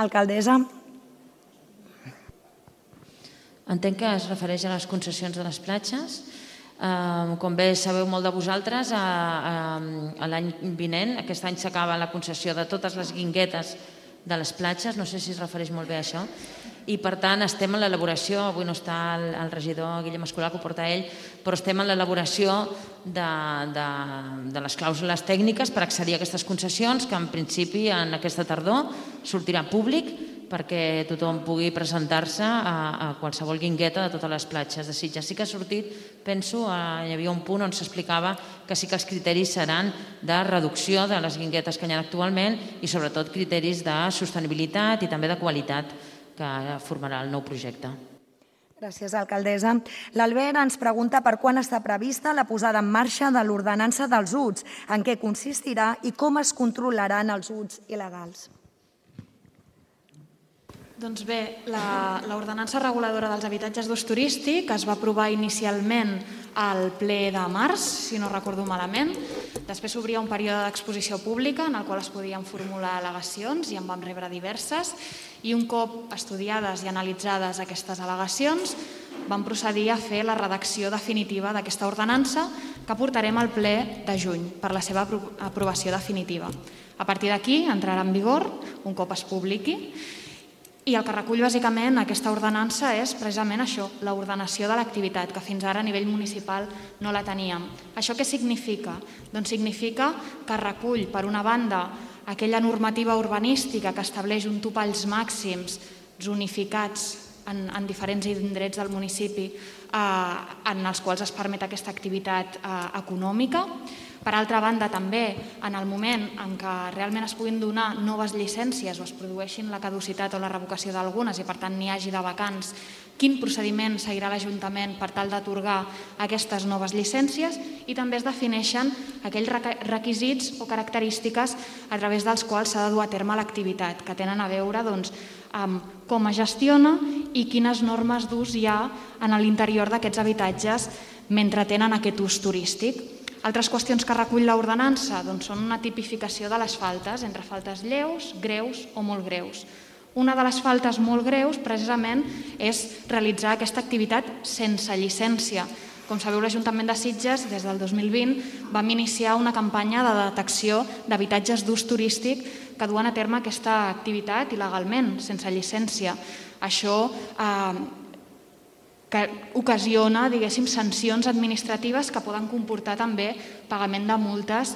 alcaldessa. Entenc que es refereix a les concessions de les platges. Com bé sabeu molt de vosaltres, l'any vinent, aquest any s'acaba la concessió de totes les guinguetes de les platges, no sé si es refereix molt bé a això, i per tant estem en l'elaboració, avui no està el regidor Guillem Escolà, que ho porta ell, però estem en l'elaboració de les clàusules tècniques per accedir a aquestes concessions, que en principi en aquesta tardor sortirà públic perquè tothom pugui presentar-se a qualsevol guingueta de totes les platges de Sitges. Sí que ha sortit, penso, hi havia un punt on s'explicava que sí que els criteris seran de reducció de les guinguetes que hi ha actualment i sobretot criteris de sostenibilitat i també de qualitat que formarà el nou projecte. Gràcies, alcaldessa. L'Albert ens pregunta per quan està prevista la posada en marxa de l'ordenança dels U Ts, en què consistirà i com es controlaran els U Ts il·legals. Doncs bé, l'ordenança reguladora dels habitatges d'ús turístic es va aprovar inicialment al ple de març, si no recordo malament. Després s'obria un període d'exposició pública en el qual es podien formular al·legacions i en vam rebre diverses. I un cop estudiades i analitzades aquestes al·legacions, vam procedir a fer la redacció definitiva d'aquesta ordenança que portarem al ple de juny per la seva aprovació definitiva. A partir d'aquí entrarà en vigor un cop es publiqui. I el que recull bàsicament aquesta ordenança és precisament això, l'ordenació de l'activitat, que fins ara a nivell municipal no la teníem. Això què significa? Doncs significa que recull, per una banda, aquella normativa urbanística que estableix un topalls màxims zonificats en, en diferents indrets del municipi eh, en els quals es permet aquesta activitat eh, econòmica. Per altra banda, també, en el moment en què realment es puguin donar noves llicències o es produeixin la caducitat o la revocació d'algunes i, per tant, n'hi hagi de vacants, quin procediment seguirà l'Ajuntament per tal d'atorgar aquestes noves llicències i també es defineixen aquells requisits o característiques a través dels quals s'ha de dur a terme l'activitat, que tenen a veure amb com es gestiona i quines normes d'ús hi ha en l'interior d'aquests habitatges mentre tenen aquest ús turístic. Altres qüestions que recull l'ordenança són una tipificació de les faltes entre faltes lleus, greus o molt greus. Una de les faltes molt greus, precisament, és realitzar aquesta activitat sense llicència. Com sabeu, l'Ajuntament de Sitges, des del dos mil vint, vam iniciar una campanya de detecció d'habitatges d'ús turístic que duen a terme aquesta activitat il·legalment, sense llicència. Això que ocasiona, diguéssim, sancions administratives que poden comportar també pagament de multes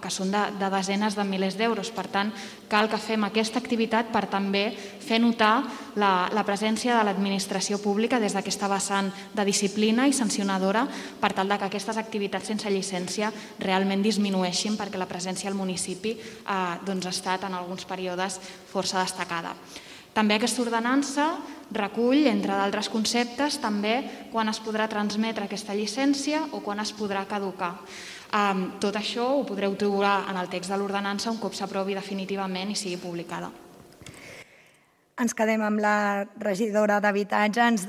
que són de desenes de milers d'euros. Per tant, cal que fem aquesta activitat per també fer notar la presència de l'administració pública des d'aquesta vessant de disciplina i sancionadora per tal que aquestes activitats sense llicència realment disminueixin perquè la presència al municipi ha estat en alguns períodes força destacada. També aquesta ordenança recull, entre d'altres conceptes, també quan es podrà transmetre aquesta llicència o quan es podrà caducar. Tot això ho podreu trobar en el text de l'ordenança un cop s'aprovi definitivament i sigui publicada. Ens quedem amb la regidora d'Habitatge. Ens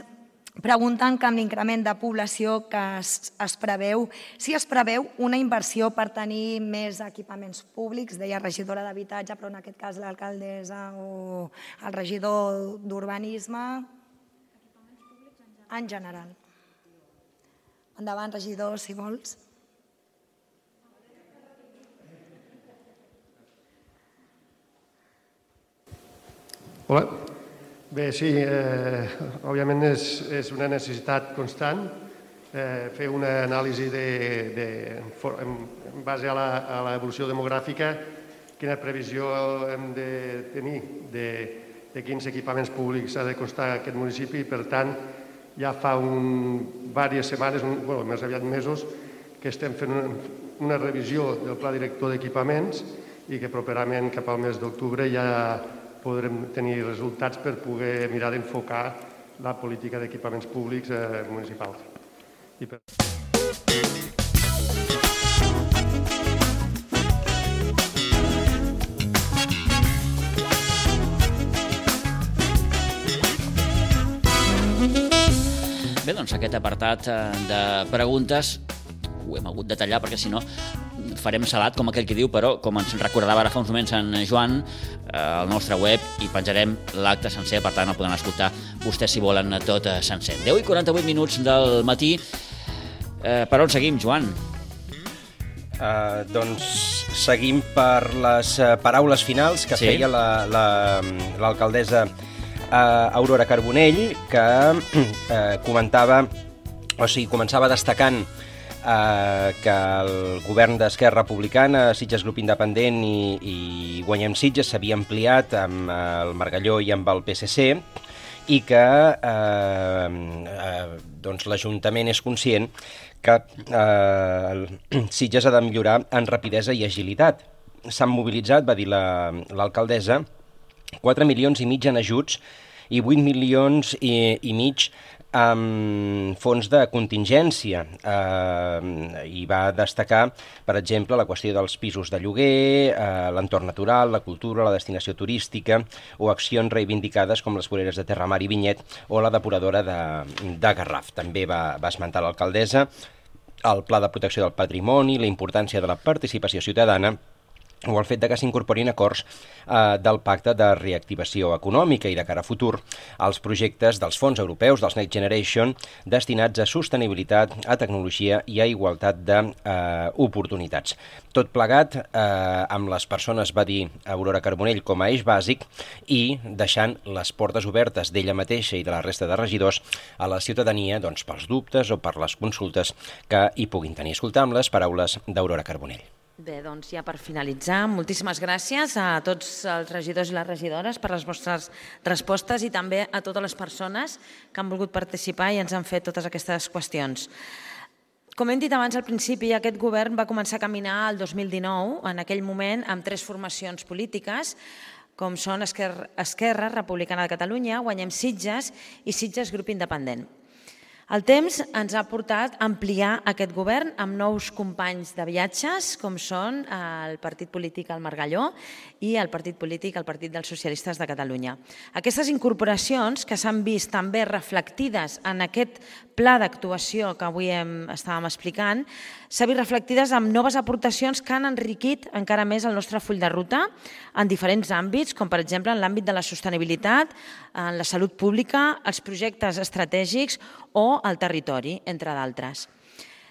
pregunten que amb l'increment de població que es, es preveu, si es preveu una inversió per tenir més equipaments públics, deia regidora d'Habitatge, però en aquest cas l'alcaldessa o el regidor d'Urbanisme, en general. Endavant, regidor, si vols. Hola. Bé, sí, eh, òbviament és, és una necessitat constant eh, fer una anàlisi de, de, en, en base a l'evolució demogràfica, quina previsió hem de tenir de, de quins equipaments públics ha de constar aquest municipi. Per tant, ja fa un, diverses setmanes, un, bueno, més aviat mesos, que estem fent una, una revisió del pla director d'equipaments i que properament cap al mes d'octubre ja podrem tenir resultats per poder mirar d'enfocar la política d'equipaments públics eh, municipals. I per... Bé, doncs aquest apartat de preguntes ho hem hagut de tallar perquè si no farem salat, com aquell que diu, però com ens recordava ara fa uns moments en Joan, eh, al nostre web hi penjarem l'acte sencer, per tant el poden escoltar vostès si volen tot sencer. deu i quaranta-vuit minuts del matí. Eh, per on seguim, Joan? Uh, doncs seguim per les uh, paraules finals que sí. feia l'alcaldessa la, la, uh, Aurora Carbonell, que uh, comentava, o sigui, començava destacant Uh, que el govern d'Esquerra Republicana, Sitges Grup Independent i, i Guanyem Sitges s'havia ampliat amb uh, el Margalló i amb el P S C i que uh, uh, doncs l'Ajuntament és conscient que uh, Sitges ha de millorar en rapidesa i agilitat. S'han mobilitzat, va dir l'alcaldessa, la, quatre milions i mig en ajuts i vuit milions i, i mig amb fons de contingència eh, i va destacar, per exemple, la qüestió dels pisos de lloguer, eh, l'entorn natural, la cultura, la destinació turística o accions reivindicades com les voreres de Terramar i Vinyet o la depuradora de, de Garraf. També va, va esmentar l'alcaldessa el Pla de Protecció del Patrimoni, la importància de la participació ciutadana o el fet de que s'incorporin acords eh, del Pacte de Reactivació Econòmica i de cara a futur als projectes dels fons europeus dels Next Generation destinats a sostenibilitat, a tecnologia i a igualtat d'oportunitats. Eh, Tot plegat eh, amb les persones, va dir Aurora Carbonell, com a eix bàsic i deixant les portes obertes d'ella mateixa i de la resta de regidors a la ciutadania doncs, pels dubtes o per les consultes que hi puguin tenir. Escoltam les paraules d'Aurora Carbonell. Bé, doncs ja per finalitzar, moltíssimes gràcies a tots els regidors i les regidores per les vostres respostes i també a totes les persones que han volgut participar i ens han fet totes aquestes qüestions. Com hem dit abans al principi, aquest govern va començar a caminar el dos mil dinou, en aquell moment amb tres formacions polítiques, com són Esquerra, Esquerra Republicana de Catalunya, Guanyem Sitges i Sitges Grup Independent. El temps ens ha portat a ampliar aquest govern amb nous companys de viatges, com són el partit polític El Margalló i el partit polític el Partit dels Socialistes de Catalunya. Aquestes incorporacions, que s'han vist també reflectides en aquest pla d'actuació que avui hem, estàvem explicant, s'han vist reflectides amb noves aportacions que han enriquit encara més el nostre full de ruta en diferents àmbits, com per exemple en l'àmbit de la sostenibilitat, en la salut pública, els projectes estratègics o el territori, entre d'altres.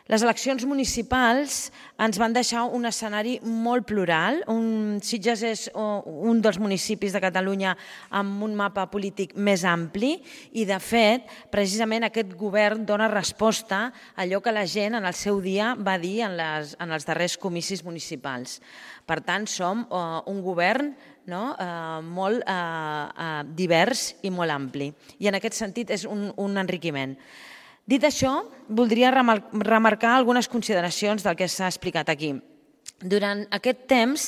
Les eleccions municipals ens van deixar un escenari molt plural. Un, Sitges és un dels municipis de Catalunya amb un mapa polític més ampli i, de fet, precisament aquest govern dona resposta a allò que la gent en el seu dia va dir en, les, en els darrers comicis municipals. Per tant, som uh, un govern no? uh, molt uh, uh, divers i molt ampli. I en aquest sentit és un, un enriquiment. Dit això, voldria remarcar algunes consideracions del que s'ha explicat aquí. Durant aquest temps,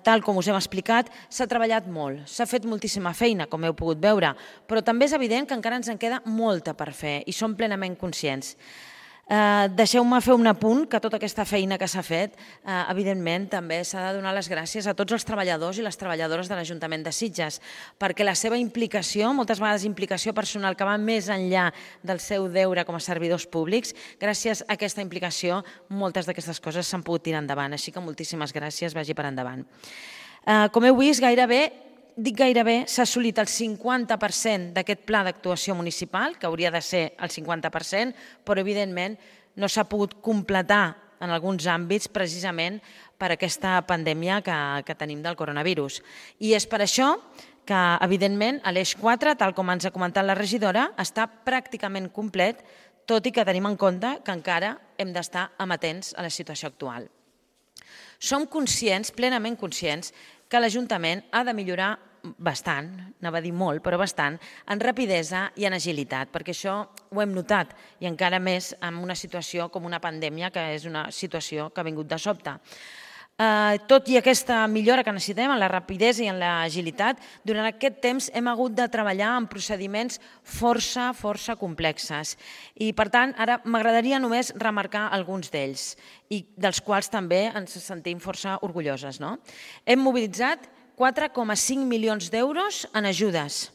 tal com us hem explicat, s'ha treballat molt, s'ha fet moltíssima feina, com heu pogut veure, però també és evident que encara ens en queda molta per fer i som plenament conscients. Deixeu-me fer un apunt, que tota aquesta feina que s'ha fet, evidentment, també s'ha de donar les gràcies a tots els treballadors i les treballadores de l'Ajuntament de Sitges, perquè la seva implicació, moltes vegades implicació personal que va més enllà del seu deure com a servidors públics, gràcies a aquesta implicació moltes d'aquestes coses s'han pogut tirar endavant, així que moltíssimes gràcies, vagi per endavant. Com heu vist, gairebé dic gairebé, s'ha assolit el cinquanta per cent d'aquest pla d'actuació municipal, que hauria de ser el cinquanta per cent, però evidentment no s'ha pogut completar en alguns àmbits precisament per aquesta pandèmia que, que tenim del coronavirus. I és per això que, evidentment, l'eix quatre, tal com ens ha comentat la regidora, està pràcticament complet, tot i que tenim en compte que encara hem d'estar amatents a la situació actual. Som conscients, plenament conscients, que l'Ajuntament ha de millorar bastant, anava a dir molt, però bastant, en rapidesa i en agilitat, perquè això ho hem notat, i encara més en una situació com una pandèmia, que és una situació que ha vingut de sobte. Tot i aquesta millora que necessitem en la rapidesa i en l'agilitat, durant aquest temps hem hagut de treballar en procediments força, força complexes. I, per tant, ara m'agradaria només remarcar alguns d'ells, i dels quals també ens sentim força orgulloses. Hem mobilitzat quatre coma cinc milions d'euros en ajudes.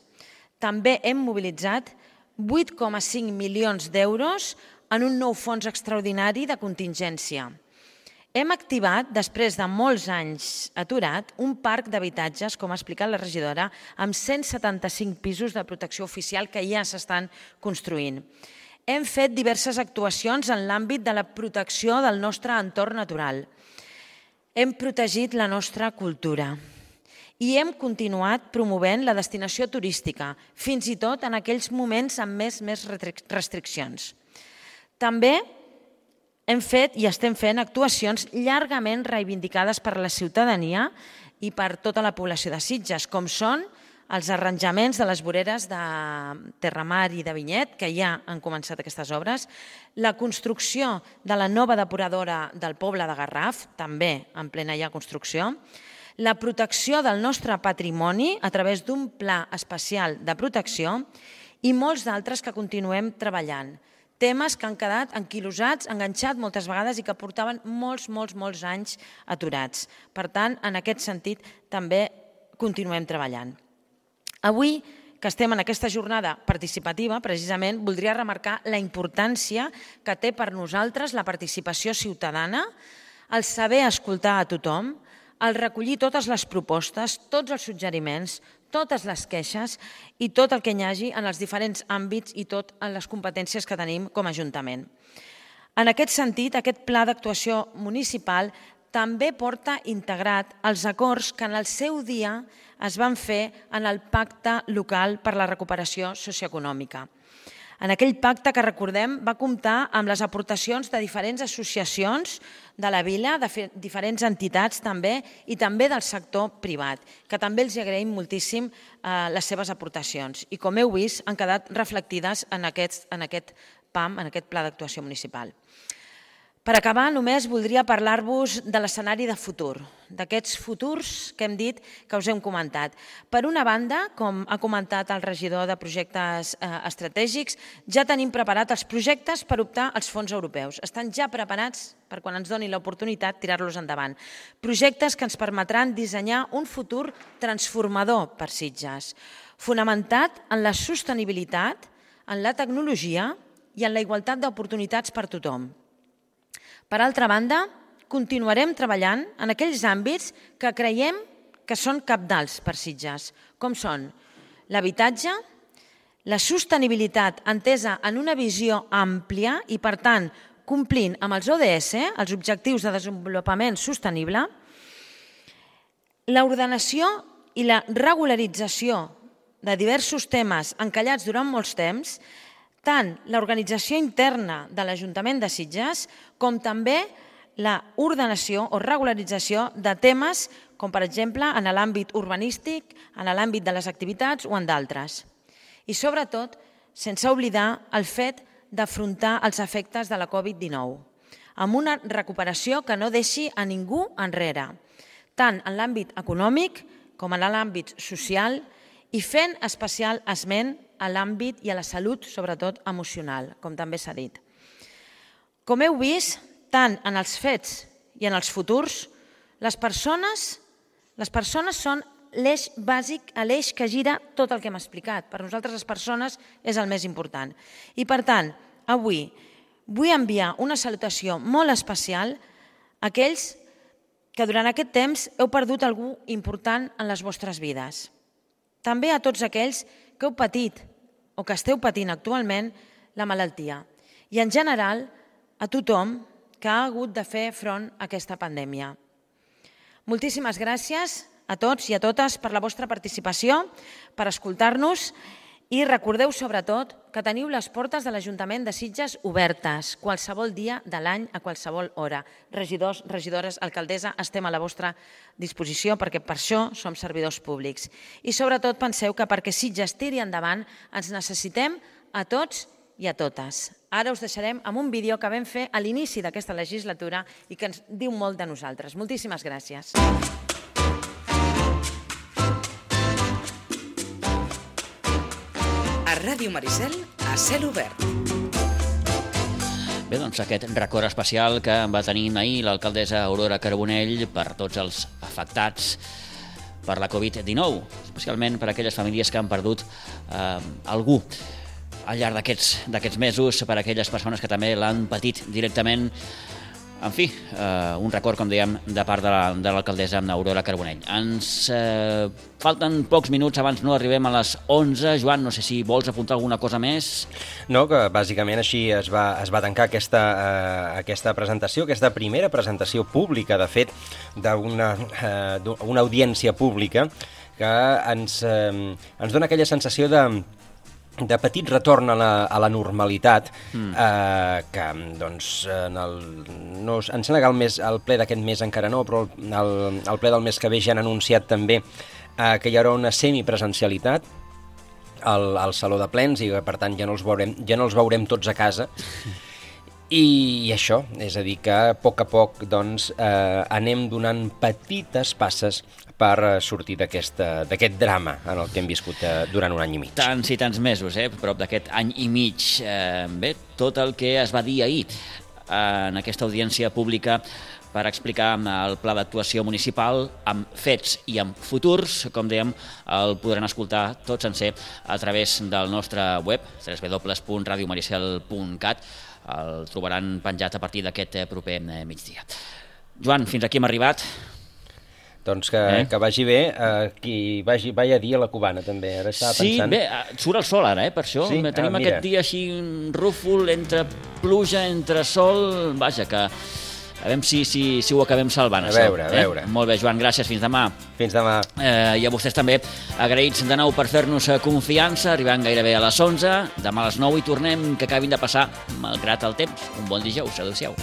També hem mobilitzat vuit coma cinc milions d'euros en un nou fons extraordinari de contingència. Hem activat, després de molts anys aturat, un parc d'habitatges, com ha explicat la regidora, amb cent setanta-cinc pisos de protecció oficial que ja s'estan construint. Hem fet diverses actuacions en l'àmbit de la protecció del nostre entorn natural. Hem protegit la nostra cultura. I hem continuat promovent la destinació turística, fins i tot en aquells moments amb més, més restriccions. També hem fet i estem fent actuacions llargament reivindicades per la ciutadania i per tota la població de Sitges, com són els arranjaments de les voreres de Terramar i de Vinyet, que ja han començat aquestes obres, la construcció de la nova depuradora del poble de Garraf, també en plena ja construcció, la protecció del nostre patrimoni a través d'un pla especial de protecció i molts d'altres que continuem treballant. Temes que han quedat enquilosats, enganxats moltes vegades i que portaven molts, molts, molts anys aturats. Per tant, en aquest sentit, també continuem treballant. Avui, que estem en aquesta jornada participativa, precisament, voldria remarcar la importància que té per nosaltres la participació ciutadana, el saber escoltar a tothom, el recollir totes les propostes, tots els suggeriments, totes les queixes i tot el que hi hagi en els diferents àmbits i tot en les competències que tenim com a Ajuntament. En aquest sentit, aquest pla d'actuació municipal també porta integrat els acords que en el seu dia es van fer en el Pacte Local per la Recuperació Socioeconòmica. En aquell pacte que recordem va comptar amb les aportacions de diferents associacions de la vila, de diferents entitats també i també del sector privat, que també els agraïm moltíssim les seves aportacions i, com heu vist, han quedat reflectides en aquest P A M, en aquest Pla d'Actuació Municipal. Per acabar, només voldria parlar-vos de l'escenari de futur, d'aquests futurs que hem dit que us hem comentat. Per una banda, com ha comentat el regidor de projectes estratègics, ja tenim preparat els projectes per optar als fons europeus. Estan ja preparats per quan ens doni l'oportunitat tirar-los endavant. Projectes que ens permetran dissenyar un futur transformador per Sitges, fonamentat en la sostenibilitat, en la tecnologia i en la igualtat d'oportunitats per tothom. Per altra banda, continuarem treballant en aquells àmbits que creiem que són cabdals per Sitges, com són l'habitatge, la sostenibilitat entesa en una visió àmplia i, per tant, complint amb els O D S, els Objectius de Desenvolupament Sostenible, l'ordenació i la regularització de diversos temes encallats durant molts temps, tant l'organització interna de l'Ajuntament de Sitges com també l'ordenació o regularització de temes com, per exemple, en l'àmbit urbanístic, en l'àmbit de les activitats o en d'altres. I, sobretot, sense oblidar el fet d'afrontar els efectes de la Covid dinou, amb una recuperació que no deixi a ningú enrere, tant en l'àmbit econòmic com en l'àmbit social i fent especial esment a l'àmbit i a la salut, sobretot emocional, com també s'ha dit. Com heu vist, tant en els fets i en els futurs, les persones, les persones són l'eix bàsic, l'eix que gira tot el que hem explicat. Per nosaltres les persones és el més important. I per tant, avui vull enviar una salutació molt especial a aquells que durant aquest temps heu perdut algú important en les vostres vides. També a tots aquells que heu patit o que esteu patint actualment la malaltia. I en general a tothom que ha hagut de fer front a aquesta pandèmia. Moltíssimes gràcies a tots i a totes per la vostra participació, per escoltar-nos i recordeu sobretot que teniu les portes de l'Ajuntament de Sitges obertes qualsevol dia de l'any a qualsevol hora. Regidors, regidores, alcaldessa, estem a la vostra disposició perquè per això som servidors públics. I sobretot penseu que perquè Sitges tiri endavant ens necessitem a tots i a totes. Ara us deixarem amb un vídeo que vam fer a l'inici d'aquesta legislatura i que ens diu molt de nosaltres. Moltíssimes gràcies. A Ràdio Maricel, a cel obert. Bé, doncs aquest record especial que va tenir ahir l'alcaldessa Aurora Carbonell per tots els afectats per la covid dinou, especialment per aquelles famílies que han perdut eh, algú al llarg d'aquests mesos, per aquelles persones que també l'han patit directament. En fi, eh, un record, com dèiem, de part de l'alcaldessa Aurora Carbonell. Ens eh, falten pocs minuts abans no arribem a les onze. Joan, no sé si vols apuntar alguna cosa més? No, que bàsicament així es va, es va tancar aquesta, eh, aquesta presentació, aquesta primera presentació pública, de fet, d'una eh, una audiència pública que ens, eh, ens dona aquella sensació de de petit retorn a la, a la normalitat, mm. eh, que doncs, en el, no, em sembla que el, mes, el ple d'aquest mes encara no, però el, el ple del mes que ve ja han anunciat també eh, que hi haurà una semipresencialitat al, al Saló de Plens i per tant ja no els veurem, ja no els veurem tots a casa. I, i això, és a dir, que a poc a poc doncs, eh, anem donant petites passes per sortir d'aquest drama en el que hem viscut durant un any i mig. Tants i tants mesos, eh? Prop d'aquest any i mig. Eh, bé, tot el que es va dir ahir en aquesta audiència pública per explicar el pla d'actuació municipal amb fets i amb futurs, com dèiem, el podran escoltar tot sencer a través del nostre web, w w w punt radio maricel punt cat. El trobaran penjat a partir d'aquest proper migdia. Joan, fins aquí hem arribat. Doncs que, eh? que vagi bé, eh, qui vagi, vagi a dir a la cubana també, ara estava sí, pensant... Sí, bé, surt el sol ara, eh, per això. Sí? Tenim ah, aquest dia així rúfol, entre pluja, entre sol, vaja, que a veure si, si, si ho acabem salvant. A veure, a veure. Eh? Molt bé, Joan, gràcies, fins demà. Fins demà. Eh, I a vostès també, agraïts de nou per fer-nos confiança, arribant gairebé a les onze, demà a les nou i tornem, que acabin de passar, malgrat el temps. Un bon dijous, adéu-siau.